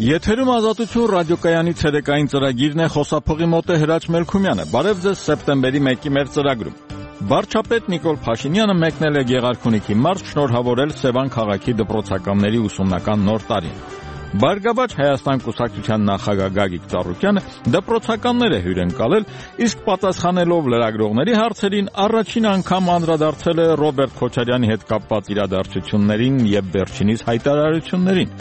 Եթերում Ազատություն ռադիոկայանի ցերեկային ծրագիրն է, խոսափողի մոտ է Հրաչ Մելքումյանը։ Բարև ձեզ սեպտեմբերի 1-ի մեր ծրագրում։ Վարչապետ Նիկոլ Փաշինյանը մեկնել է Գեղարքունիքի մարզ շնորհավորել Սևան քաղաքի դպրոցականների ուսումնական նոր տարին։ Բարգավաճ Հայաստան կուսակցության նախագահ Գագիկ Ծառուկյանը դպրոցականներ է հյուրընկալել, իսկ պատասխանելով լրագրողների հարցերին առաջին անգամ անդրադարձել է Ռոբերտ Քոչարյանի հետ կապված իրադարձություններին եւ վերջինիս հայտարարություններին։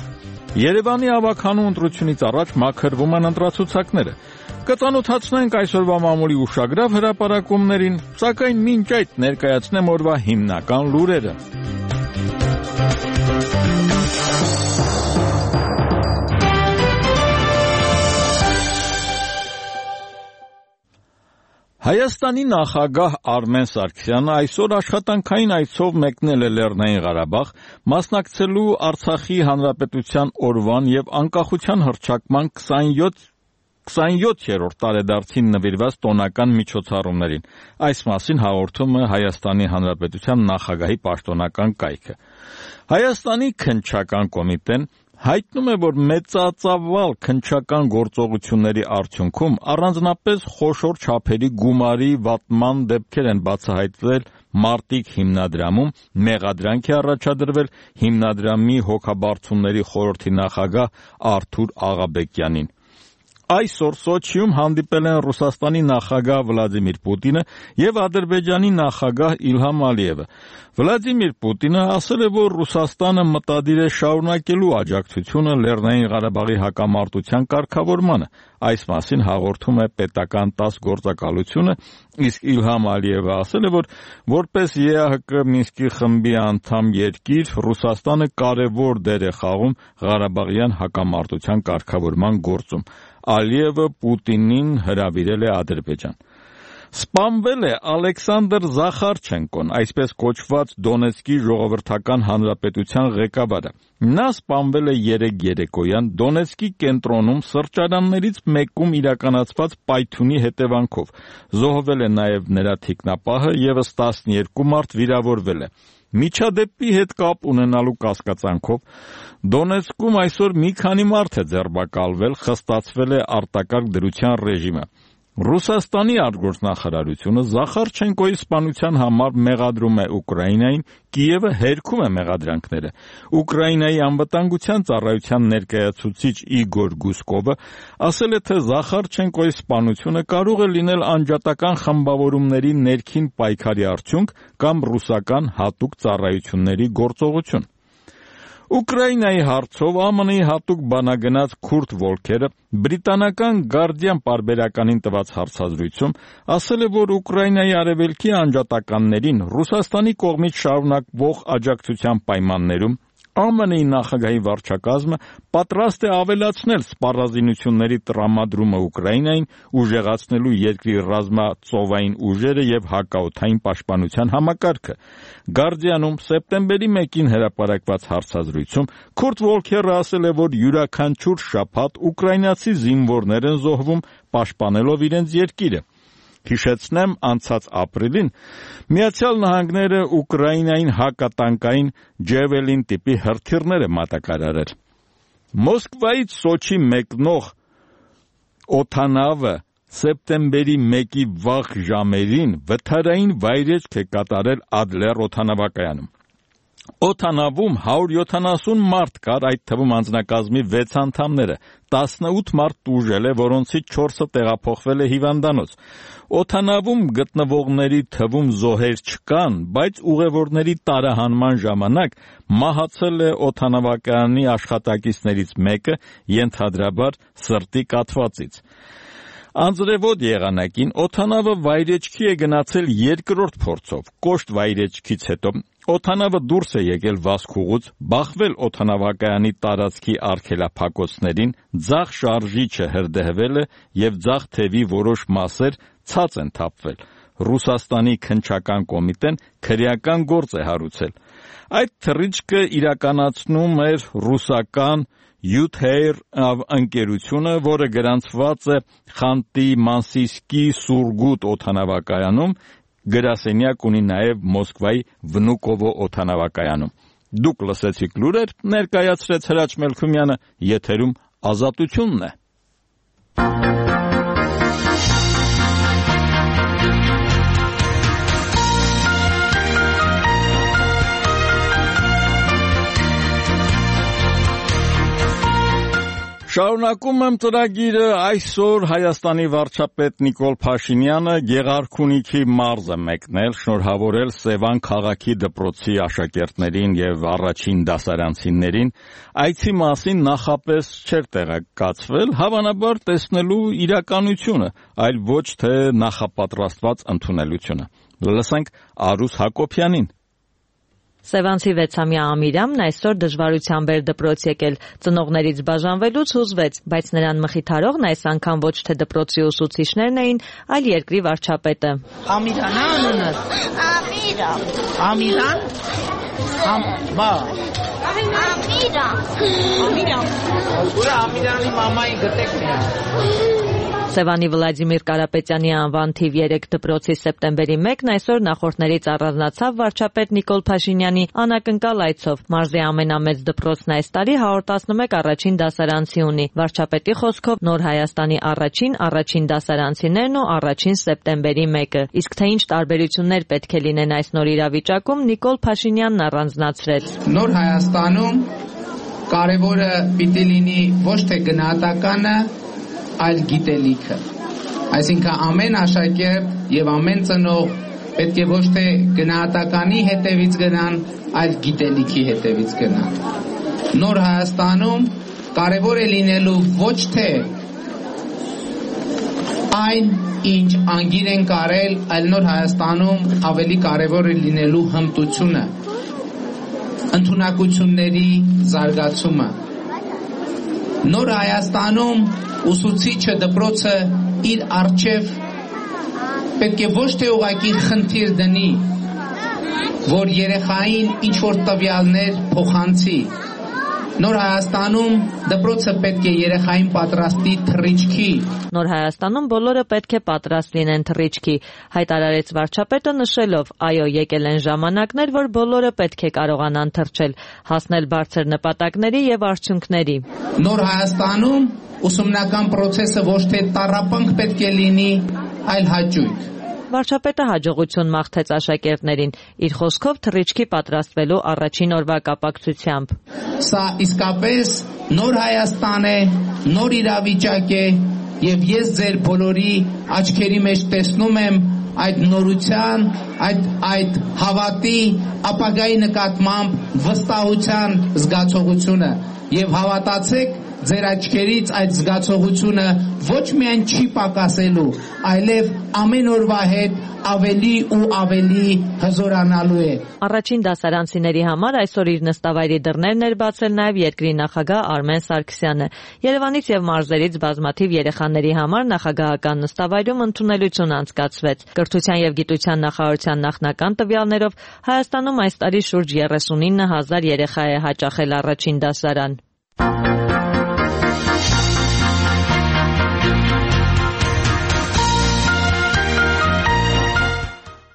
Երևանի ավագանու ընտրությունից առաջ մաքրվում են ընտրացուցակները։ Կծանոթացնենք այսօրվա մամուլի ուշագրավ հրապարակումներին, սակայն մինչ այդ ներկայացնեմ օրվա հիմնական լուրերը։ Հայաստանի նախագահ Արմեն Սարգսյանը այսօր աշխատանքային այցով մեկնել է Լեռնային Ղարաբաղ, մասնակցելու Արցախի Հանրապետության օրվան եւ անկախության հռչակման 27-րդ տարեդարձին նվիրված տոնական միջոցառումներին։ Այս մասին հաղորդում է Հայաստանի Հանրապետության նախագահի պաշտոնական կայքը։ Հայաստանի քննչական կոմիտեն հայտնում է, որ մեծածավալ քննչական գործողությունների արդյունքում առանձնապես խոշոր չափերի գումարի վատման դեպքեր են բացահայտվել Մարտիկ հիմնադրամում, մեղադրանք է առաջադրվել հիմնադրամի հոգաբարձությունների խորհրդի նախագահ Արթուր Աղաբեկյանին։ Այսօր Սոչիում հանդիպել են Ռուսաստանի նախագահ Վլադիմիր Պուտինը եւ Ադրբեջանի նախագահ Իլհամ Ալիևը։ Վլադիմիր Պուտինը ասել է, որ Ռուսաստանը մտադիր է շարունակելու աջակցությունը Լեռնային Ղարաբաղի հակամարտության կարգավորմանը։ Այս մասին հաղորդում է պետական ՏԱՍՍ գործակալությունը, իսկ Իլհամ Ալիևը ասել է, որ որպես ԵԱՀԿ Մինսկի խմբի անդամ երկիր Ռուսաստանը կարևոր դեր է խաղում Ղարաբաղյան հակամարտության կարգավորման գործում։ Ալիևը Պուտինին հրավիրել է Ադրբեջան։ Սպանվել է Ալեքսանդր Զախարչենկոն, այսպես կոչված Դոնեցկի ժողովրդական հանրապետության ղեկավարը։ Նա սպանվել է երեկոյան Դոնեցկի կենտրոնում սրճարաններից մեկում իրականացված պայթյունի հետևանքով։ Զոհվել է նաև նրա թիկնապահը, ևս 12 մարդ վիրավորվել է։ Միջադեպի հետ կապ ունենալու կասկածանքով Դոնեցկում այսօր մի քանի մարդ է ձերբակալվել, խստացվել է արտակարգ դրության ռեժիմը։ Ռուսաստանի արտգործնախարարությունը Զախարչենկոյի սպանության համար մեղադրում է Ուկրաինային, Կիևը հերքում է մեղադրանքները։ Ուկրաինայի անվտանգության ծառայության ներկայացուցիչ Իգոր Գուսկովը ասել է, թե Զախարչենկոյի սպանությունը կարող է լինել անջատական խմբավորումների ներքին պայքարի արդյունք կամ ռուսական հատուկ ծառայությունների գործողություն։ Ուկրաինայի հարցով ԱՄՆ-ի հատուկ բանագնաց Քուրտ Վոլքերը բրիտանական Guardian պարբերականին տված հարցազրույցում ասել է, որ Ուկրաինայի արևելքի անջատականներին Ռուսաստանի կողմից շարունակվող աջակցության պայմաններում ԱՄՆ-ի նախագահի վարչակազմը պատրաստ է ավելացնել սպառազինությունների տրամադրումը Ուկրաինային, ուժեղացնելու երկրի ռազմածովային ուժերը եւ հակաօդային պաշտպանության համակարգը։ Guardian-ում սեպտեմբերի 1-ին հրապարակված հարցազրույցում Քուրտ Վոլքերը ասել է, որ յուրաքանչյուր շաբաթ ուկրաինացի զինվորներ են զոհվում պաշտպանելով իրենց երկիրը։ Հիշեցնեմ, անցած ապրիլին Միացյալ Նահանգները Ուկրաինային հակատանկային Ջևելին տիպի հրթիռներ է մատակարարել։ Մոսկվայից Սոչի մեկնող օդանավը սեպտեմբերի 1-ի վաղ ժամերին վթարային վայրեջք է կատարել Ադլեր օդանավակայանում։ Օդանավում 170 մարդ կար, այդ թվում անձնակազմի 6 անդամները, 18 մարդ տուժել է, որոնցից 4-ը տեղափոխվել է հիվանդանոց։ Օդանավում գտնվողների թվում զոհեր չկան, բայց ուղևորների տարահանման ժամանակ մահացել է օդանավակայանի աշխատակիցներից մեկը, ենթադրաբար սրտի կաթվածից։ Անձրևոտ եղանակին օդանավը վայրեջքի է գնացել երկրորդ փորձով։ Կոշտ վայրեջքից հետո օդանավը դուրս է եկել վազքուղուց, բախվել օդանավակայանի տարածքի արգելափակոցներին, ձախ շարժիչը հրդեհվել է եւ ձախ թևի որոշ մասեր ցած են թափվել։ Ռուսաստանի քննչական կոմիտեն քրեական գործ է հարուցել։ Այդ թռիչքը իրականացնում էր ռուսական Յուտհեյր ընկերությունը, որը գրանցված է Խանտի-Մանսիսկի Սուրգուտ օդանավակայանում, գրասենյակ ունի նաև Մոսկվայի Վնուկովո օդանավակայանում։ Դուք լսեցիք լուրեր, ներկայացրեց Հրաչ Մելքումյանը, եթերում ազատությունն է։ Շարունակում եմ ծրագիրը այսօր Հայաստանի վարչապետ Նիկոլ Փաշինյանը Գեղարքունիքի մարզ է մեկնել շնորհավորել Սևան քաղաքի դպրոցի աշակերտներին եւ առաջին դասարանցիներին այցի մասին նախապես չէր տեղեկացվել հավանաբար տեսնելու իրականությունը այլ ոչ թե նախապատրաստված ընդունելությունը լսենք Արուս Հակոբյանին Սևանցի 6-ամյա Ամիրամն այսօր դժվարությամբ էր դպրոց եկել, ծնողներից բաժանվելուց հուզվեց, բայց նրան մխիթարողն այս անգամ ոչ թե դպրոցի ուսուցիչներն էին, այլ երկրի վարչապետը։ Ամիրանն անունը։ Ամիրան։ Բա։ Ամիրան։ Ուրա Ամիրանի մամայի գտեք միա։ Սևանի Վլադիմիր Կարապետյանի անվան թիվ 3 դպրոցի սեպտեմբերի 1-ն այսօր նախորդներից առանձնացավ վարչապետ Նիկոլ Փաշինյանի անակնկալ այցով։ Մարզի ամենամեծ դպրոցն այս տարի 111 առաջին դասարանցի ունի։ Վարչապետի խոսքով Նոր Հայաստանի առաջին դասարանցիներն ու առաջին սեպտեմբերի 1-ը։ Իսկ թե ինչ տարբերություններ պետք է լինեն այս նոր իրավիճակում Նիկոլ Փաշինյանն առանձնացրեց։ Նոր Հայաստանում կարևորը պիտի լինի ոչ թե գնահատականը այլ գիտելիքը, այսինքն ամեն աշակերտ եւ ամեն ծնող պետք է ոչ թե գնահատականի հետևից գնան, այլ գիտելիքի հետևից գնան։ Նոր Հայաստանում կարևոր է լինելու ոչ թե այն, ինչ անգիր են կարել, այլ Նոր Հայաստանում ավելի կարևոր է լինելու հմտությունը, ընդունակությունների զարգացումը։ Նոր Հայաստանում ուսուցիչը դպրոցը իր առջև պետք է ոչ թե ուղղակի խնդիր դնի, որ երեխային ինչ-որ տվյալներ փոխանցի։ Նոր Հայաստանում դպրոցը պետք է երեխային պատրաստի թռիչքի։ Նոր Հայաստանում բոլորը պետք է պատրաստ լինեն թռիչքի, հայտարարեց վարչապետը նշելով, այո, եկել են ժամանակներ, որ բոլորը պետք է կարողանան թռչել, հասնել բարձր նպատակների եւ արդյունքների։ Նոր Հայաստանում ուսումնական process-ը ոչ թե տառապանք պետք է լինի, այլ հաճույք։ Վարչապետը հաջողություն մաղթեց աշակերտներին, իր խոսքով թռիչքի պատրաստվելու առաջին օրվա կապակցությամբ։ Սա իսկապես նոր Հայաստան է, նոր իրավիճակ է, եւ ես ձեր բոլորի աչքերի մեջ տեսնում եմ այդ նորության, այդ հավատի, ապագայի նկատմամբ վստահության զգացողությունը եւ հավատացեք ձեր աչքերից այդ զգացողությունը ոչ միայն չի պակասելու, այլև ամեն օրվա հետ ավելի ու ավելի հզորանալու է։ Առաջին դասարանցիների համար այսօր իր նստավայրի դռներն էր բացել նաև երկրի նախագահ Արմեն Սարգսյանը։ Երևանից եւ մարզերից բազմաթիվ երեխաների համար նախագահական նստավայրում ընդունելություն անցկացվեց։ Կրթության եւ գիտության նախարարության նախնական տվյալներով Հայաստանում այս տարի շուրջ 39,000 երեխա է հաճախել առաջին դասարան։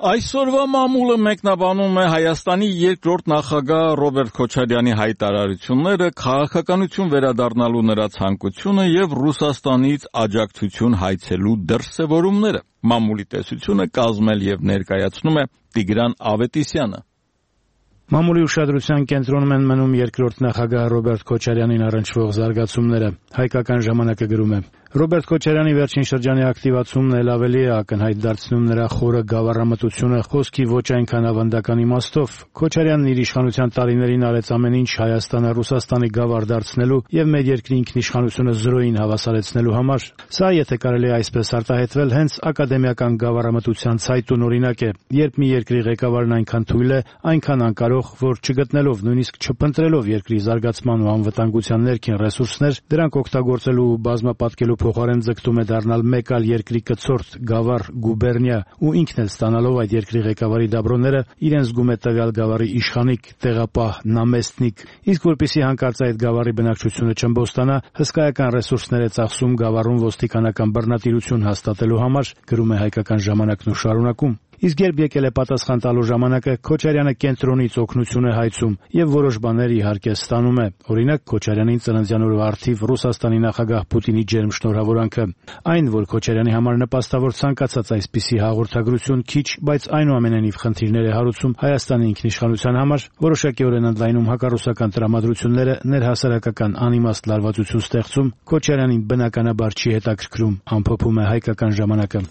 Այսօրվա մամուլը մեկնաբանում է Հայաստանի երկրորդ նախագահ Ռոբերտ Քոչարյանի հայտարարությունները, քաղաքականություն վերադառնալու նրա ցանկությունը եւ Ռուսաստանից աջակցություն հայցելու դրսևորումները։ Մամուլի տեսությունը կազմել եւ ներկայացնում է Տիգրան Ավետիսյանը։ Մամուլի ուշադրության կենտրոնում են մնում երկրորդ նախագահ Ռոբերտ Քոչարյանին առնչվող զարգացումները։ Հայկական ժամանակը գրում է. Ռոբերտ Քոչարյանի վերջին շրջանի ակտիվացումն էլ ավելի է ակնհայտ դարձնում նրա խորը գավառամտությունը խոսքի ոչ այնքան ավանդական իմաստով։ Քոչարյանն իր իշխանության տարիներին արեց ամեն ինչ Հայաստանը Ռուսաստանի գավառ դարձնելու եւ մեր երկրի ինքնիշխանությունը զրոյին հավասարեցնելու համար։ Սա, եթե կարելի է այսպես արտահայտվել, հենց ակադեմիական գավառամտության ցայտուն օրինակ է, երբ մի երկրի ղեկավարն այնքան թույլ է, այնքան անկարող, որ չգտնելով, նույնիսկ չփնտրելով երկրի զարգացման ու անվտանգության ներքին ռեսուրսներ, դրանք օգտագործելու ու բազմապատկելու փոխարեն ձգտում է դառնալ մեկ այլ երկրի կցորդ, գավառ, գուբերնիա ու ինքն էլ ստանալով այդ երկրի ղեկավարի դաբրոները իրեն զգում է տվյալ գավառի իշխանիկ, տեղապահ, նամեստնիկ, իսկ որպեսզի հանկարծ այդ գավառի բնակչությունը չըմբոստանա, հսկայական ռեսուրսներ է ծախսում գավառում ոստիկանական բռնատիրություն հաստատելու համար, գրում է Հայկական ժամանակն ու շարունակում։ Իսկ երբ եկել է պատասխան տալու ժամանակը, Քոչարյանը կենտրոնից օգնություն է հայցում եւ որոշ բաներ իհարկե ստանում է։ Օրինակ Քոչարյանին ծննդյան օրվա առթիվ Ռուսաստանի նախագահ Պուտինի ջերմ շնորհավորանքը։ Այն, որ Քոչարյանի համար նպաստավոր ցանկացած այսպիսի հաղորդագրություն քիչ, բայց այնուամենայնիվ խնդիրներ է հարուցում Հայաստանի ինքնիշխանության համար, որոշակիորեն ընդլայնում հակառուսական տրամադրությունները, ներհասարակական անիմաստ լարվածություն ստեղծում, Քոչարյանին բնականաբար չի հետաքրքրում, ամփոփում է Հայկական ժամանակը։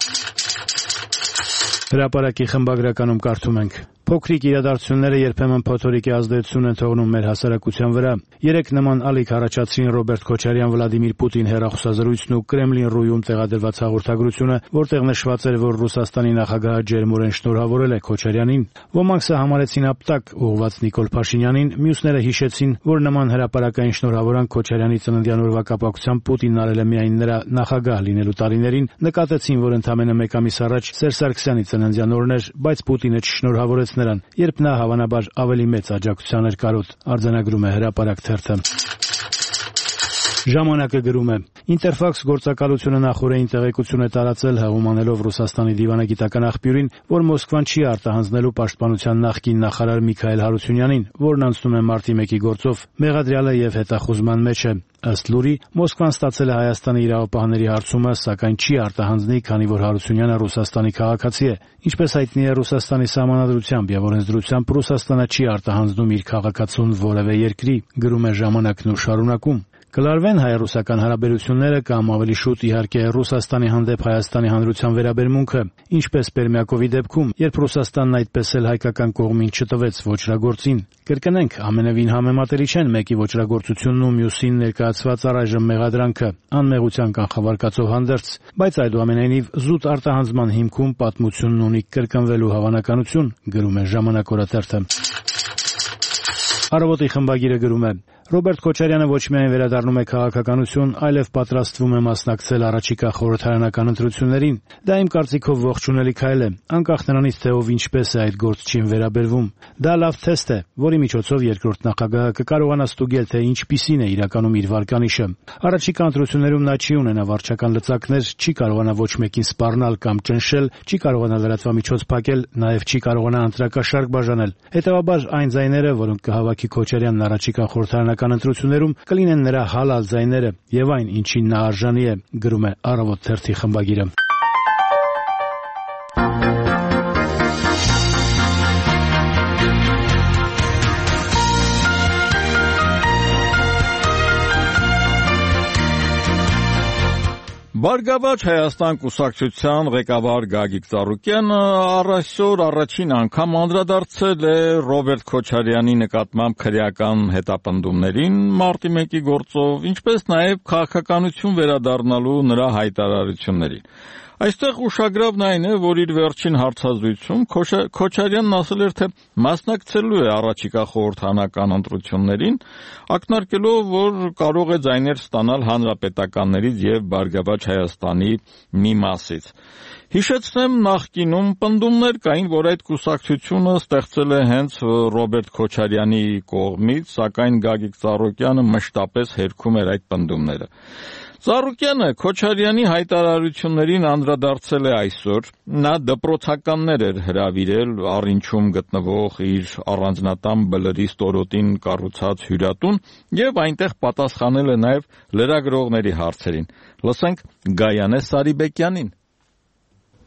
Հրապարակի խմբագրականում կարդում ենք. Փոքրիկ իրադարձությունները երբեմն փոթորիկի ազդեցություն են թողնում մեր հասարակության վրա։ Երեք նման ալիք առաջացրին Ռոբերտ Քոչարյան-Վլադիմիր Պուտին հեռախոսազրույցն ու Կրեմլին-Ռույում տեղադրված հաղորդագրությունը, որտեղ նշված էր, որ Ռուսաստանի նախագահը ջերմորեն շնորհավորել է Քոչարյանին։ Ոմանք սա համարեցին ապտակ ուղղված Նիկոլ Փաշինյանին, մյուսները հիշեցին, որ նման հրապարակային շնորհավորանք Քոչարյանի ծննդյան օրվա կապակցությամբ Պուտինն արել է միայն նրա նախագահ լինելու տարիներին, նկատեցին, որ ընդամենը մեկ ամիս առաջ Սերժ Սարգսյանի ծննդյան օրն էր, բայց Պուտինը չշնորհավորեց նրան, երբ նա հավանաբար ավելի մեծ աջակցության էր կարոտ, արձանագրում է Հրապարակ թերթը։ Ժամանակը գրում է. Ինտերֆաքս գործակալությունը նախորդին տեղեկություն է տարածել հեղումանելով Ռուսաստանի դիվանագիտական աղբյուրին, որ Մոսկվան չի արտահանձնելու պաշտպանության նախկին նախարար Միքայել Հարությունյանին, որն անցնում է մարտի 1-ի գործով, մեղադրյալը եւ հետախուզման մեջ է։ Ըստ լուրի, Մոսկվան ստացել է Հայաստանի իրավապահների հարցումը, սակայն չի արտահանձնի, քանի որ Հարությունյանը Ռուսաստանի քաղաքացի է։ Ինչպես հայտնի է, Ռուսաստանի սահմանադրությամբ եւ օրենսդրությամբ Ռուսաստանը չի արտահանձնում իր քաղաքացուն որևէ երկրի, գրում է Ժամանակն ու շարունակում։ Կլարվեն հայ-ռուսական հարաբերությունները կամ ավելի շուտ իհարկե Ռուսաստանի հանդեպ Հայաստանի Հանրության վերաբերմունքը, ինչպես Պերմյակովի դեպքում, երբ Ռուսաստանն այդպես էլ հայկական կողմին չտվեց ոճրագործին։ Կրկնենք, ամենևին համեմատելի չեն մեկի ոճրագործությունն ու մյուսին ներկայացված առայժմ մեղադրանքը, անմեղության կանխավարկածով հանդերձ, բայց այդուամենայնիվ զուտ արտահանձնման հիմքում պատմությունն ունի կրկնվելու հավանականություն, գրում է Ժամանակ օրաթերթը։ Առավոտի խմբագիրը գրում է. Ռոբերտ Քոչարյանը ոչ միայն վերադառնում է քաղաքականություն, այլև պատրաստվում է մասնակցել առաջիկա խորհրդարանական ընտրություններին։ Դա իմ կարծիքով ողջունելի քայլ է, անկախ նրանից, թե ով ինչպես է այդ գործչին վերաբերվում։ Դա լավ թեստ է, որի միջոցով երկրորդ նախագահը կկարողանա ստուգել, թե ինչպիսին է իրականում իր վարկանիշը։ Առաջիկա ընտրություններում նա չի ունենա վարչական լծակներ, չի կարողանա ոչ մեկին սպառնալ կամ ճնշել, չի կարողանա լրատվամիջոց փակել, նաև չի կարողանա ընտրակաշարք բաժանել։ Հետևաբար այն ձայները, որոնք կհավաքի Քոչարյանն առաջիկա խորհրդարանական ընտրություններում, կլինեն նրա հալալ ձայները եւ այն, ինչին նա արժանի է, գրում է Առավոտ թերթի խմբագիրը։ Բարգավաճ Հայաստան կուսակցության ղեկավար Գագիկ Ծառուկյանը այսօր առաջին անգամ անդրադարձել է Ռոբերտ Քոչարյանի նկատմամբ քրեական հետապնդումներին մարտի 1-ի գործով, ինչպես նաև քաղաքականություն վերադառնալու նրա հայտարարություններին։ Այստեղ ուշագրավն այն է, որ իր վերջին հարցազրույցում Քոչարյանն ասել էր, թե մասնակցելու է առաջիկա խորհրդարանական ընտրություններին, ակնարկելով, որ կարող է ձայներ ստանալ հանրապետականներից եւ Բարգավաճ Հայաստանի մի մասից։ Հիշեցնեմ, նախկինում պնդումներ կային, որ այդ կուսակցությունը ստեղծել է հենց Ռոբերտ Քոչարյանի կողմից, սակայն Գագիկ Ծառուկյանը մշտապես հերքում էր այդ պնդումները։ Ծառուկյանը Քոչարյանի հայտարարություններին անդրադարձել է այսօր, նա դպրոցականներ էր հրավիրել Առինչում գտնվող իր առանձնատան բլրի ստորոտին կառուցած հյուրատուն եւ այնտեղ պատասխանել է նաեւ լրագրողների հարցերին։ Լսենք Գայանե Սարիբեկյանին։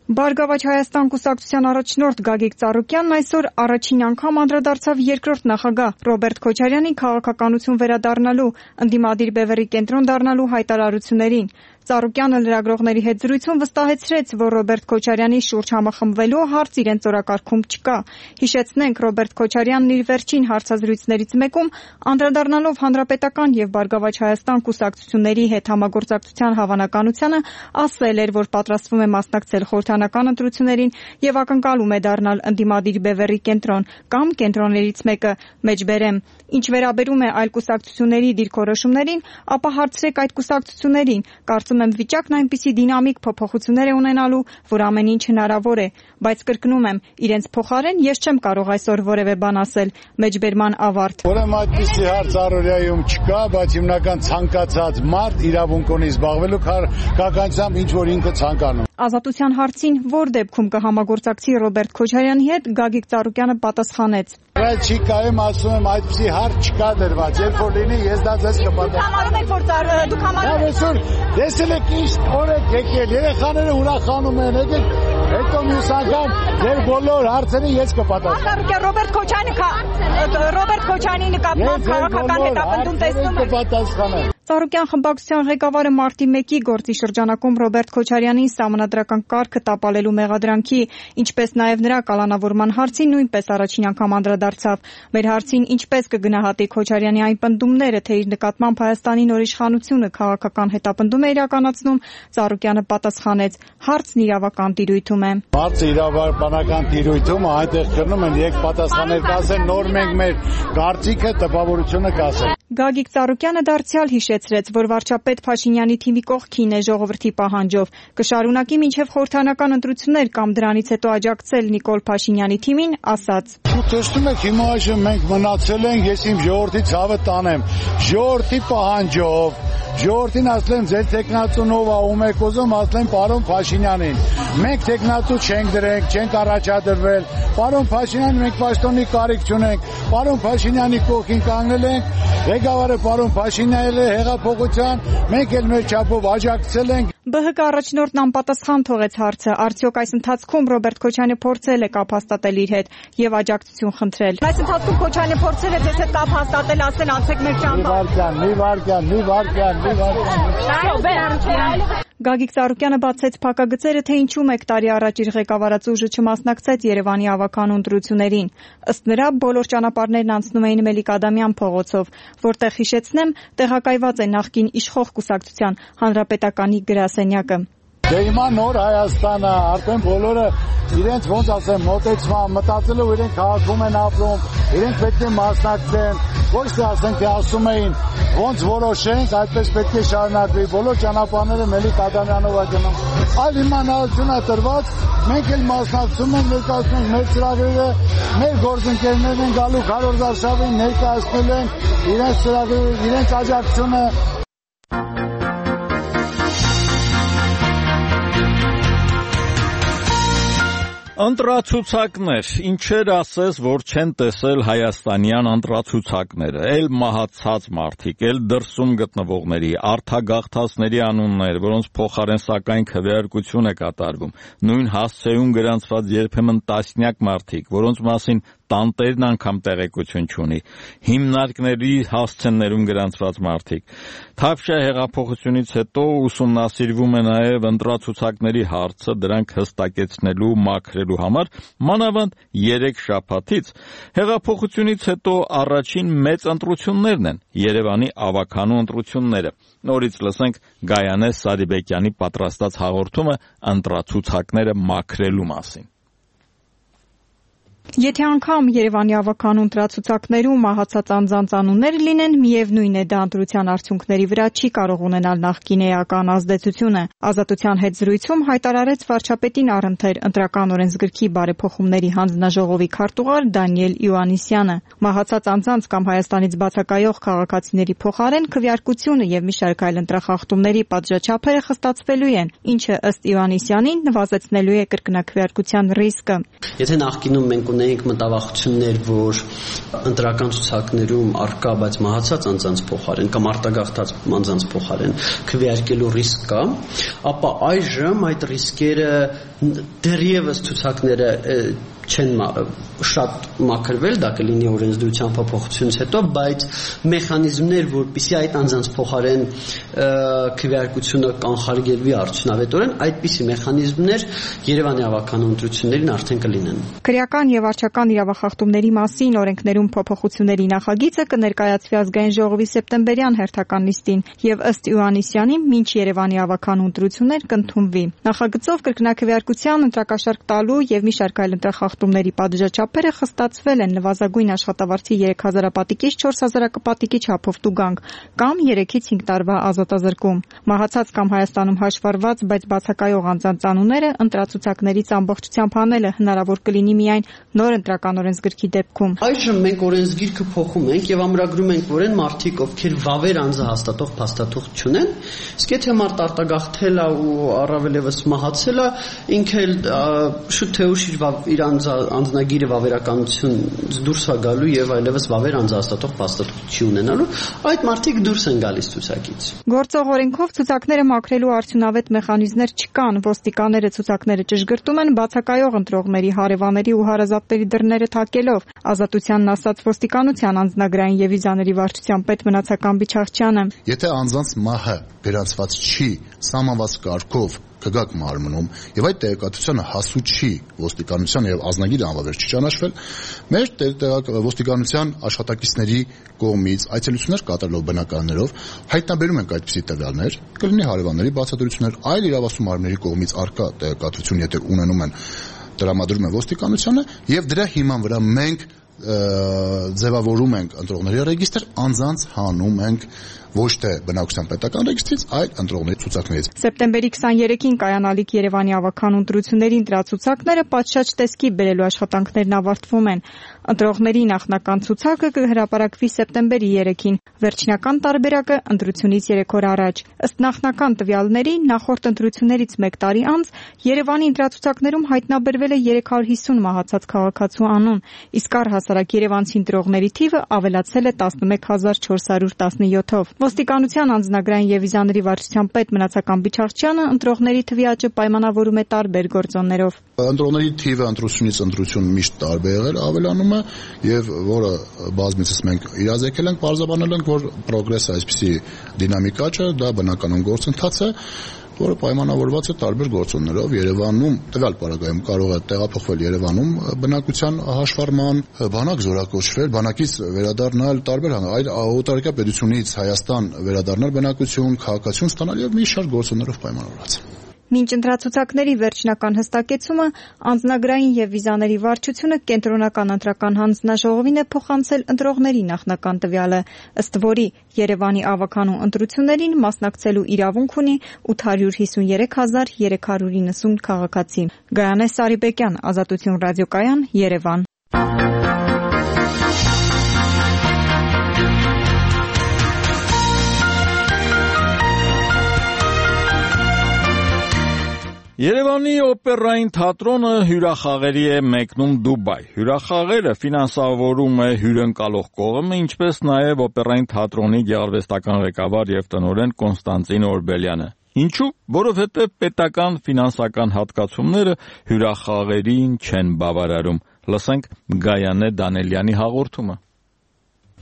Բարգավաճ Հայաստան կուսակցության առաջնորդ Գագիկ Ծառուկյանն այսօր առաջին անգամ անդրադարձավ երկրորդ նախագահ Ռոբերտ Քոչարյանի քաղաքականություն վերադառնալու, ընդդիմադիր բևեռի կենտրոն դառնալու հայտարարություններին։ Ծառուկյանը լրագրողների հետ զրույցում վստահեցրեց, որ Ռոբերտ Քոչարյանի շուրջ համախմբվելու հարց իրենց օրակարգում չկա։ Հիշեցնենք, Ռոբերտ Քոչարյանն իր վերջին հարցազրույցներից մեկում անդրադառնալով Հանրապետական եւ Բարգավաճ Հայաստան կուսակցությունների հետ համագործակցության հավանականությանը, ասել էր, որ պատրաստվում է մասնակցել խորհրդարանական ընտրություններին եւ ակնկալում է դառնալ ընդդիմադիր բևեռի կենտրոն կամ կենտրոններից մեկը, մեջբերեմ։ Ինչ վերաբերում է այլ կուսակցությունների դիրքորոշումներին, ապա հարցրեք այդ կուսակցություններին։ Կարծում եմ վիճակն այնպիսի դինամիկ փոփոխություններ է ունենալու, որ ամեն ինչ հնարավոր է, բայց կրկնում եմ, իրենց փոխարեն ես չեմ կարող այսօր որևէ բան ասել, մեջբերման ավարտ։ Ուրեմն այդպիսի հարց առօրյայում չկա, բայց հիմնական ցանկացած մարդ իրավունք ունի զբաղվելու քաղաքականությամբ, ինչ որ ինքը ցանկանում։ Ազատության հարցին, որ դեպքում կհամագործակցի Ռոբերտ Քոչարյանի հետ, Գագիկ Ծառուկյանը պատասխանեց. Չի կայեմ ասում եմ այդպիսի հարց չկա դրված, երբ որ լինի ես դա ձեզ կպատասխանեմ։ Դուք համարում եք, որ Տեսել եք ինչ օր եք եկել, երեխաները ուրախանում են, եկեք հետո մյուս անգամ ձեր բոլոր հարցերին ես կպատասխանեմ։ Ռոբերտ Քոչարյանի նկատմամբ քաղաքական հետապնդում տեսնում եք։ Ծառուկյան խմբակցության ղեկավարը մարտի 1-ի գործի շրջանակում Ռոբերտ Քոչարյանին սահմանադրական կարգը տապալելու մեղադրանքի, ինչպես նաև նրա կալանավորման հարցին նույնպես առաջին անգամ անդրադարձավ։ Մեր հարցին ինչպես կգնահատի Քոչարյանի այն պնդումները, թե իր նկատմամբ Հայաստանի նոր իշխանությունը քաղաքական հետապնդում է իրականացնում, Ծառուկյանը պատասխանեց. հարցն իրավական տիրույթում է։ Հարցը իրավաբանական տիրույթում է, այնտեղ քննում են եկ պատասխանել կասեն, նոր մենք մեր կարծիքը, տպավորությունը կասեն։ Գագիկ Ծառուկյանը դարձյալ հիշեցրեց, որ վարչապետ Փաշինյանի թիմի կողքին է ժողովրդի պահանջով, կշարունակի մինչև խորհրդարանական ընտրություններ կամ դրանից հետո աջակցել Նիկոլ Փաշինյանի թիմին, ասաց. Տեսնում եք, հիմա այժմ մենք մնացել ենք, ես իմ ժողովրդի ցավը տանեմ, ժողովրդի պահանջով, ժողովրդին ասեմ ձեր տեխնացունով ում եք ուզում, ասեմ պարոն Փաշինյանին, մենք տեխնացու չենք դրենք, չենք առաջադրվել, պարոն Փաշինյան մենք պաշտոնի կարիք չունենք, պարոն Փաշինյանի կողքին կանգնել ենք, ղեկավարը պարոն Փաշինյանն է հեղափոխության, մենք էլ մեր չափով աջակցել ենք։ ԲՀԿ առաջնորդն անպատասխան թողեց հարցը, արդյոք այս ընթացքում Ռոբերտ Քոչարյանը փորձել է կապ հաստատել իր հետ եւ աջակցություն խնդրել։ Այս ընթացքում Քոչարյանը փորձել է ձեզ հետ կապ հաստատել, ասել անցեք մեր ճամփա։ Գագիկ Ծառուկյանը բացեց փակագծերը, թե ինչու մեկ տարի առաջ իր ղեկավարած ուժը չմասնակցեց Երևանի ավականու ընտրություններին։ Ըստ նրա, բոլոր ճանապարհներն անցնում էին Մելիք-Ադամյան փողոցով, որտեղ հիշեցնեմ, տեղակայված է նախկին իշխող կուսակցության հանրապետականի գրասենյակը։ Դե հիմա նոր Հայաստանը, արդեն բոլորը իրենց ոնց ասեմ մոտեցման, մտածելով իրենք քաղաքում են ապրում, իրենք պետք է մասնակցեն, ոչ թե ասենք թե ասում էին ոնց որոշենք, այդպես պետք է շարունակվի, բոլոր ճանապարհները Մելիք-Ադամյանով է գնում։ Այլ հիմա նորություն է տրված, մենք էլ մասնակցում ենք, ներկայացնում ենք մեր ծրագրերը, մեր գործընկերներն են գալու Քարոզ Արշավին ներկայացնել են իրենց ծրագրերը, իրենց աջակցությունը։ Ընտրացուցակներ, ինչեր ասես, որ չեն տեսել հայաստանյան ընտրացուցակները, էլ մահացած մարդիկ, էլ դրսում գտնվողների, արտագաղթածների անուններ, որոնց փոխարեն սակայն քվեարկություն է կատարվում, նույն հասցեում գրանցված երբեմն տասնյակ մարդիկ, որոնց մասին տանտերն անգամ տեղեկություն չունի, հիմնարկների հասցեներում գրանցված մարդիկ։ Թավշյա հեղափոխությունից հետո ուսումնասիրվում է նաև ընտրացուցակների հարցը, դրանք հստակեցնելու, մաքրելու համար, մանավանդ 3 շաբաթից հեղափոխությունից հետո առաջին մեծ ընտրություններն են, Երևանի ավականու ընտրությունները։ Նորից լսենք Գայանե Սարիբեկյանի պատրաստած հաղորդումը ընտրացուցակները մաքրելու մասին։ Եթե անգամ Երևանի ավականու ընտրացուցակներում մահացած անձանց անուններ լինեն, միևնույն է դա ընտրության արդյունքների վրա չի կարող ունենալ նախկին էական ազդեցությունը։ Ազատության հետ զրույցում հայտարարեց վարչապետին առընթեր ընտրական օրենսգրքի բարեփոխումների հանձնաժողովի քարտուղար Դանիել Իոաննիսյանը։ Մահացած անձանց կամ Հայաստանից բացակայող քաղաքացիների փոխարեն քվեարկությունը եւ մի շարք այլ ընտրախախտումների պատժաչափերը խստացվելու են, ինչը ըստ Իոաննիսյանի նվազեցնելու է կրկնակվեարկության ռիսկը։ Եթե նախկինում մենք ունեինք մտավախություններ, որ ընտրական ցուցակներում արկա, բայց մահացած անձանց փոխարեն կամ արտագաղթած անձանց փոխարեն քվեարկելու ռիսկ կա, ապա այժմ այդ ռիսկերը դեռևս ցուցակները չեն շատ մաքրվել, դա կլինի օրենսդրության փոփոխությունից հետո, բայց մեխանիզմներ, որպեսզի այդ անձանց փոխարեն քվեարկությունը կանխարգելվի արդյունավետորեն, այդպիսի մեխանիզմներ Երևանի ավականու ընտրություններին արդեն կլինեն։ Քրեական եւ վարչական իրավախախտումների մասին օրենքներում փոփոխությունների նախագիծը կներկայացվի ազգային ժողովի սեպտեմբերյան հերթական նիստին եւ ըստ Իոաննիսյանի մինչ Երևանի ավականու ընտրություններ կընդունվի։ Նախագծով կրկնակվեարկության ընտրակաշարք տալու եւ մի շարք այլ ընտրախախտումների խախտումների պատժաչափերը խստացվել են նվազագույն աշխատավարձի 3000 պատիկից 4000 պատիկի չափով տուգանք կամ 3-ից 5 տարվա ազատազրկում։ Մահացած կամ Հայաստանում հաշվառված, բայց բացակայող անձանց անունները ընտրացուցակներից ամբողջությամբ հանելը հնարավոր կլինի միայն նոր ընտրական օրենսգրքի դեպքում։ Այժմ մենք օրենսգիրքը փոխում ենք եւ ամրագրում ենք, որ այն մարդիկ, ովքեր վավեր անձահաստատող փաստաթուղթ չունեն, իսկ եթե մարդ արտագաղթել է ու առավել եւս մահացել է, ինքը շուտ թե ուշ իր անձնագիրը վավերականությունից դուրս է գալու եւ այլևս վավեր անձահաստատող փաստաթուղթ չի ունենալու, այդ մարդիկ դուրս են գալիս ցուցակից։ Գործող օրենքով ցուցակները մաքրելու արդյունավետ մեխանիզմներ չկան, ոստիկանները ցուցակները ճշգրտում են բացակայող ընտրողների, հարևանների ու հարազատների դռները թակելով։ Ազատությանն ասաց ոստիկանության անձնագրային եւ վիզաների վարչության պետ Մնացական Բիչախչյանը։ Եթե անձանց մահը վերացված չի սահմանված կարգով կգակ մարմնում եւ այդ տեղեկատվությունը հասու չի ոստիկանության եւ ազնագիրը անվավեր չի ճանաչվել, մեր ոստիկանության աշխատակիցների կողմից այցելություններ կատարելով բնակարաններով հայտնաբերում ենք այդպիսի տվյալներ, կլինի հարևանների բացատրություններ, այլ իրավասու մարմինների կողմից արկա տեղեկատվություն եթե ունենում են տրամադրում են ոստիկանությանը եւ դրա հիման վրա մենք ձևավորում ենք ընտրողների ռեգիստր, անձանց հանում ենք ոչ թե բնակության պետական ռեգիստրից, այլ ընտրողների ցուցակներից։ Սեպտեմբերի 23-ին կայանալիք Երևանի ավագանու ընտրությունների ընտրացուցակները պատշաճ տեսքի բերելու աշխատանքներն ավարտվում են։ Ընտրողների նախնական ցուցակը կհրապարակվի սեպտեմբերի 3-ին, վերջնական տարբերակը ընտրությունից 3 օր առաջ։ Ըստ նախնական տվյալների, նախորդ ընտրություններից 1 տարի անց Երևանի ընտրացուցակներում հայտնաբերվել է 350 մահացած քաղաքացու անուն, իսկ առհասարակ երևանցի ընտրողների թիվը ավելացել է 11417-ով։ Ոստիկանության անձնագրային եւ վիզաների վարչության պետ Մնացական Բիչախչյանը ընտրողների թվի աճը պայմանավորում է տարբեր գործոններով։ Ընտրողների թիվը ընտրությունից ընտրություն միշտ տարբեր եղել, ավելանում է եւ որը բազմիցս մենք իրազեկել ենք, բարձրաբանել ենք, որ պրոգրեսը այսպիսի դինամիկա չէ, դա բնականon գործընթաց է, որը պայմանավորված է տարբեր գործոններով։ Երևանում տվյալ պարագայում կարող է տեղափոխվել Երևանում բնակության հաշվառման, բանակ զորակոչվել, բանակից վերադառնալ տարբեր այլ օտարերկրյա պետությունից Հայաստան վերադառնալ բնակություն, քաղաքացիություն ստանալ եւ մի շարք գործոններով պայմանավորված է։ Մինչ ընտրացուցակների վերջնական հստակեցումը անձնագրային եւ վիզաների վարչությունը կենտրոնական ընտրական հանձնաժողովին է փոխանցել ընտրողների նախնական տվյալը, ըստ որի Երևանի ավագանու ընտրություններին մասնակցելու իրավունք ունի 853390 քաղաքացի։ Գայանե Սարիբեկյան, Ազատություն ռադիոկայան, Երևան։ Երևանի օպերային թատրոնը հյուրախաղերի է մեկնում Դուբայ։ Հյուրախաղերը ֆինանսավորում է հյուրընկալող կողմը, ինչպես նաև օպերային թատրոնի գեղարվեստական ղեկավար եւ տնօրեն Կոնստանտին Օրբելյանը։ Ինչու՞, որովհետեւ պետական ֆինանսական հատկացումները հյուրախաղերին չեն բավարարում։ Լսենք Գայանե Դանելյանի հաղորդումը։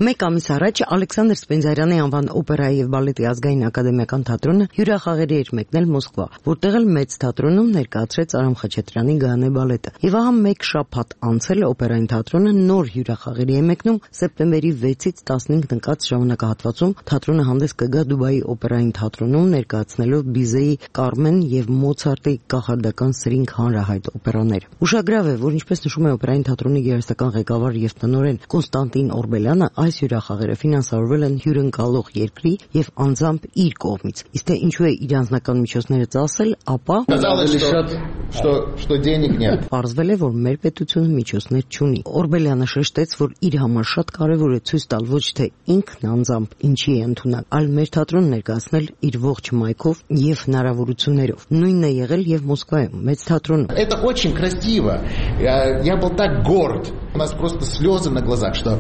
Մեկ ամիս առաջ Ալեքսանդր Սպենդիարյանի անվան օպերայի եւ բալետի ազգային ակադեմիական թատրոնը հյուրախաղերի էր մեկնել Մոսկվա, որտեղ էլ մեծ թատրոնում ներկայացրեց Արամ Խաչատրյանի Գայանե բալետը։ Եվ ահա մեկ շաբաթ անցել օպերային թատրոնը նոր հյուրախաղերի է մեկնում սեպտեմբերի 6-ից 15 ընկած ժամանակահատվածում թատրոնը հանդես կգա Դուբայի օպերային թատրոնում ներկայացնելով Բիզեի Կարմեն եւ Մոցարտի կախարդական սրինգ հանրահայտ օպերաներ։ Ուշագրավ է, որ ինչպես նշում է օպերային թատրոնի գեղարվեստական ղեկավար եւ տնօրեն Կոնստանտին Օրբելյանը, այս հյուրախաղերը ֆինանսավորվել են հյուրընկալող երկրի եւ անձամբ իր կողմից։ Իսկ թե ինչու է իր անձնական միջոցները ծախսել, ապա պարզվել է, որ մեր պետությունը միջոցներ չունի։ Օրբելյանը շեշտեց, որ իր համար շատ կարեւոր է ցույց տալ ոչ թե ինքն անձամբ ինչի է ընդունակ, այլ մեր թատրոնը ներկայացնել իր ողջ մայքով եւ հնարավորություններով։ Նույնն է եղել եւ Մոսկվայում, մեծ թատրոնում։ Это очень красиво. Я был так горд. У нас просто слезы на глазах, что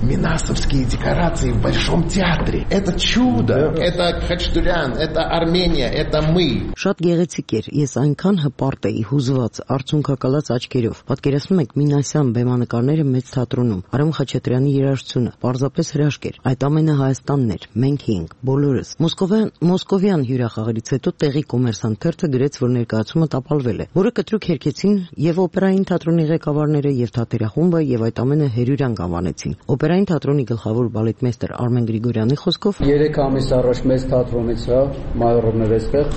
минасовские декорации в Большом театре. Это чудо. Это Хачатурян, это Армения, это мы. Շատ գեղեցիկ էր։ Ես այնքան հպարտ էի, հուզված, արցունքակալած աչքերով։ Պատկերացնում եք Մինասյան բեմանկարները մեծ թատրոնում, Արամ Խաչատրյանի երաժշտությունը, պարզապես հրաշք էր։ Այդ ամենը Հայաստանն էր, մենք էինք, բոլորս։ Մոսկովյան հյուրախաղերից հետո տեղի Կոմերսանտ թերթը գրեց, որ ներկայացումը տապալվել է, որը կտրուկ հերքեցին եւ օպերային թատրոնի ղեկավարները, եւ թատերախումբը, եւ այդ ամենը հերյուրանգ անվանեցին։ Օպերային թատրոնի գլխավոր բալետմեստր Արմեն Գրիգորյանի խոսքով 3 ամիս առաջ մեծ թատրոնից մայորովներ էստեղ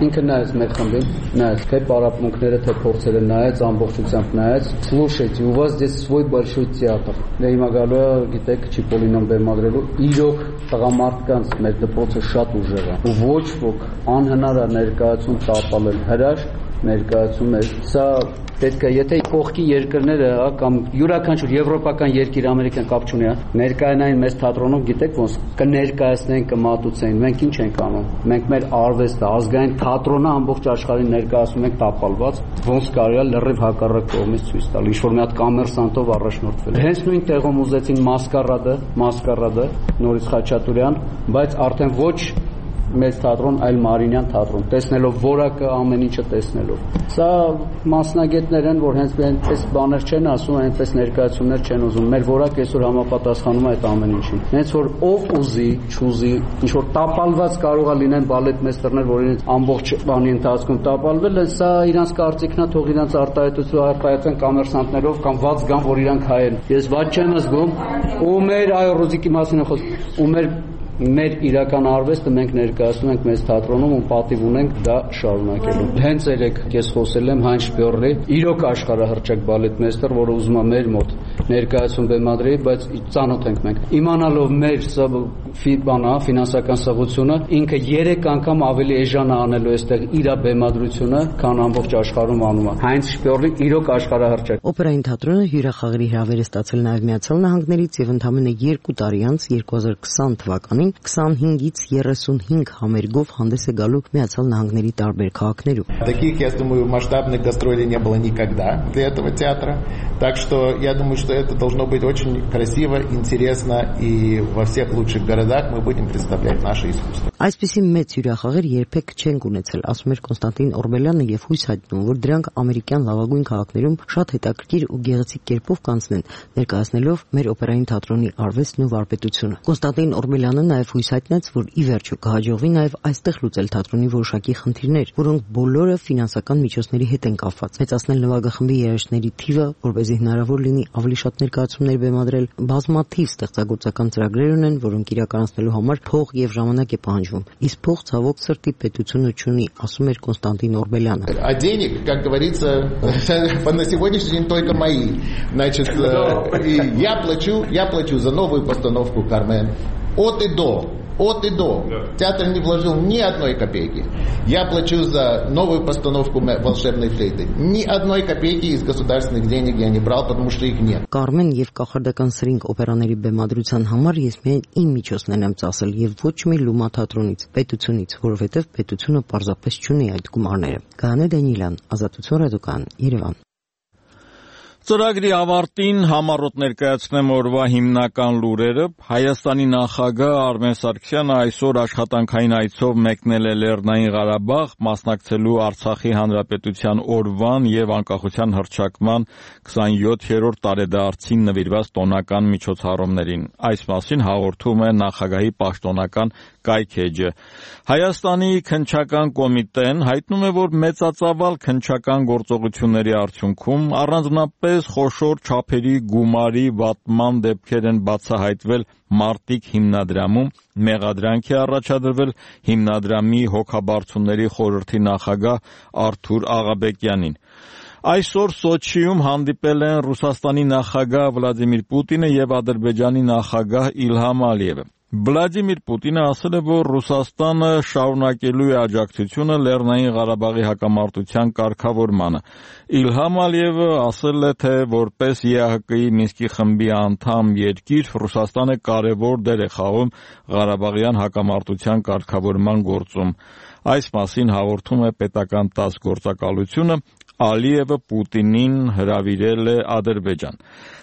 ինքը նայեց մեր խմբին, նայեց թե պարապմունքները, թե փորձերը նայեց, ամբողջությամբ նայեց. Слушайте, у вас здесь свой большой театр. Դե հիմա գալու է, գիտեք, Չիպոլինոն բեմադրելու, իրոք տղամարդկանց մեր դպրոցը շատ ուժեղ է։ Ու ոչ ոք անհնար է ներկայացում տապալել հրաշք, ներկայացում է։ Սա պետք է, եթե կողքի երկրները կամ յուրաքանչյուր եվրոպական երկիր ամերիկան կապ չունի, ներկայանային մեծ թատրոնում գիտեք ոնց կներկայացնեն, կմատուցեն։ Մենք ինչ ենք անում։ Մենք մեր արվեստը, ազգային թատրոնը ամբողջ աշխարհին ներկայացնում ենք տապալված, ոնց կարելի է լրիվ հակառակ կողմից ցույց տալ, ինչ որ մի հատ կոմերսանտով առաջնորդվել։ Հենց նույն տեղում ուզեցին մասկարադը, Նորից Խաչատուրյան, բայց արդեն ոչ մեծ թատրոն, այլ Մարինյան թատրոն, տեսնելով որակը, ամեն ինչը տեսնելով։ Սա մասնագետներ են, որ հենց այնպես բաներ չեն ասում, այնպես ներկայացումներ չեն ուզում։ Մեր որակը այսօր համապատասխանում է այդ ամեն ինչին։ Հենց որ ով ուզի, չուզի, ինչ որ տապալված կարող է լինեն բալետմեստերներ, որ իրենց ամբողջ բանի ընթացքում տապալվել են, սա իրանց կարծիքն է, թող իրանց արտահայտության կոմերսանտներով կամ ված գան, որ իրանք հայ են։ Ես ված չեմ զգում, ու մեր այ Ռոզիկի մասին է խոսքը, ու մեր իրական արվեստը մենք ներկայացնում ենք մեծ թատրոնում ու պատիվ ունենք դա շարունակելու։ Հենց երեք ես խոսել եմ Հայն Շպյորլի, իրոք աշխարհահռչակ բալետմեստեր, որը ուզում է մեր մոտ ներկայացում բեմադրի, բայց ծանոթ ենք մենք։ Իմանալով մեր ֆինանսական սղությունը, ինքը 3 անգամ ավելի էժան է անելու այստեղ իր բեմադրությունը, քան ամբողջ աշխարհում անում է։ Հայն Շպյորլի իրոք աշխարհահռչակ։ Օպերային թատրոնը հյուրախաղերի հրավեր է ստացել նաև Միացյալ Նահանգներից եւ ընդամենը 2 տարի անց 2020 թվականին 25-ից 35 համերգով հանդես է գալու Միացյալ Նահանգների տարբեր քաղաքներում։ Таких, я думаю, масштабных гастролей не было никогда для этого театра. Так что я думаю, что это должно быть очень красиво, интересно, и во всех лучших городах мы будем представлять наше искусство. Այսպիսի մեծ հյուրախաղեր երբեք չենք ունեցել, ասում էր Կոնստանտին Օրբելյանը եւ հույս հայտնում, որ դրանք ամերիկյան լավագույն քաղաքներում շատ հետաքրքիր ու գեղեցիկ կերպով կանցնեն, ներկայացնելով մեր օպերային թատրոնի արվեստն ու վարպետությունը։ Կոնստանտին Օրբելյանը նաև հույս հայտնեց, որ ի վերջո կհաջողվի նաև այստեղ լուծել թատրոնի որոշակի խնդիրներ, որոնք բոլորը ֆինանսական միջոցների հետ են կապված։ Մեծացնել նվագախմբի երաժիշտների թիվը, որպեսզի հնարավոր լինի ավելի շատ ներկայացումներ բեմադրել, բազմաթիվ ստեղծագործական ծրագրեր ունեն, որոնք իրականացնելու համար փող եւ ժամանակ է пահանջվում։ Իսկ փող ցավոք сырти պետությունը չունի, ասում էր Կոնստանտին Օրբելյանը։ А денег, как говорится, на сегодняшний день только мои. Значит, я плачу за новую постановку «Кармен». От и до. Театр не вложил ни одной копейки. Я плачу за новую постановку «Волшебной флейты». Ни одной копейки из государственных денег я не брал, потому что их нет. Կարմեն եւ կախարդական սրինգ օպերաների բեմադրության համար ես միայն իմ միջոցներն եմ ծախսել եւ ոչ մի լումա թատրոնից, պետությունից, որովհետեւ պետությունը պարզապես չունի այդ գումարները։ Գանե Դանիելյան, Ազատություն ռադիոկայան, Երևան։ Ծրագրի ավարտին համառոտ ներկայացնեմ օրվա հիմնական լուրերը։ Հայաստանի նախագահ Արմեն Սարգսյանը այսօր աշխատանքային այցով մեկնել է Լեռնային Ղարաբաղ, մասնակցելու Արցախի Հանրապետության օրվան եւ անկախության հռչակման 27-րդ տարեդարձին նվիրված տոնական միջոցառումներին։ Այս մասին հաղորդում է նախագահի պաշտոնական կայքէջը։ Հայաստանի քննչական կոմիտեն հայտնում է, որ մեծածավալ քննչական գործողությունների արդյունքում առանձնապես խոշոր չափերի գումարի վատման դեպքեր են բացահայտվել Մարտիկ հիմնադրամում, մեղադրանք է առաջադրվել հիմնադրամի հոգաբարձությունների խորհրդի նախագահ Արթուր Աղաբեկյանին։ Այսօր Սոչիում հանդիպել են Ռուսաստանի նախագահ Վլադիմիր Պուտինը եւ Ադրբեջանի նախագահ Իլհամ Ալիևը։ Վլադիմիր Պուտինը ասել է, որ Ռուսաստանը շարունակելու է աջակցությունը Լեռնային Ղարաբաղի հակամարտության կարգավորմանը։ Իլհամ Ալիևը ասել է, թե որպես ԵԱՀԿ-ի Մինսկի խմբի անդամ երկիր Ռուսաստանը կարևոր դեր է խաղում Ղարաբաղյան հակամարտության կարգավորման գործում։ Այս մասին հաղորդում է պետական ՏԱՍՍ գործակալությունը, Ալիևը Պուտինին հրավիրել է Ադրբեջան։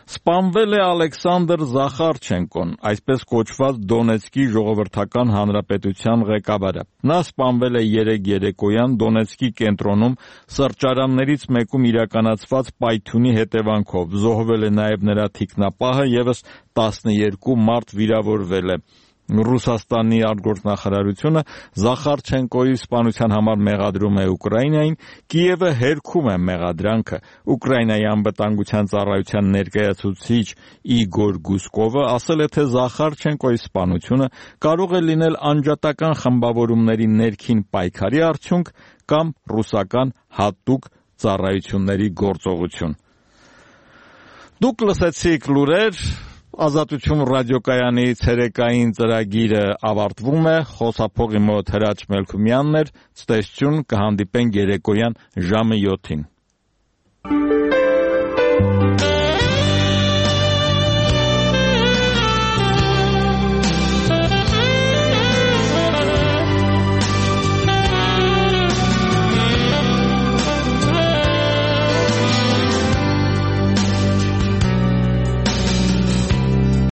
Սպանվել է Ալեքսանդր Զախարչենկոն, այսպես կոչված Դոնեցկի ժողովրդական հանրապետության ղեկավարը։ Նա սպանվել է երեկոյան Դոնեցկի կենտրոնում սրճարաններից մեկում իրականացված պայթյունի հետևանքով։ Զոհվել է նաև նրա թիկնապահը, եւս 12 մարդ վիրավորվել է։ Ռուսաստանի արտգործնախարարությունը Զախարչենկոյի սպանության համար մեղադրում է Ուկրաինային, Կիևը հերքում է մեղադրանքը։ Ուկրաինայի անվտանգության ծառայության ներկայացուցիչ Իգոր Գուսկովը ասել է, թե Զախարչենկոյի սպանությունը կարող է լինել անջատական խմբավորումների ներքին պայքարի արդյունք կամ ռուսական հատուկ ծառայությունների գործողություն։ Դուք լսեցիք լուրեր, Ազատություն ռադիոկայանի ցերեկային ծրագիրը ավարտվում է, խոսափողի մոտ Հրաչ Մելքումյանն էր, ցտեսություն, կհանդիպենք երեկոյան ժամը 7-ին։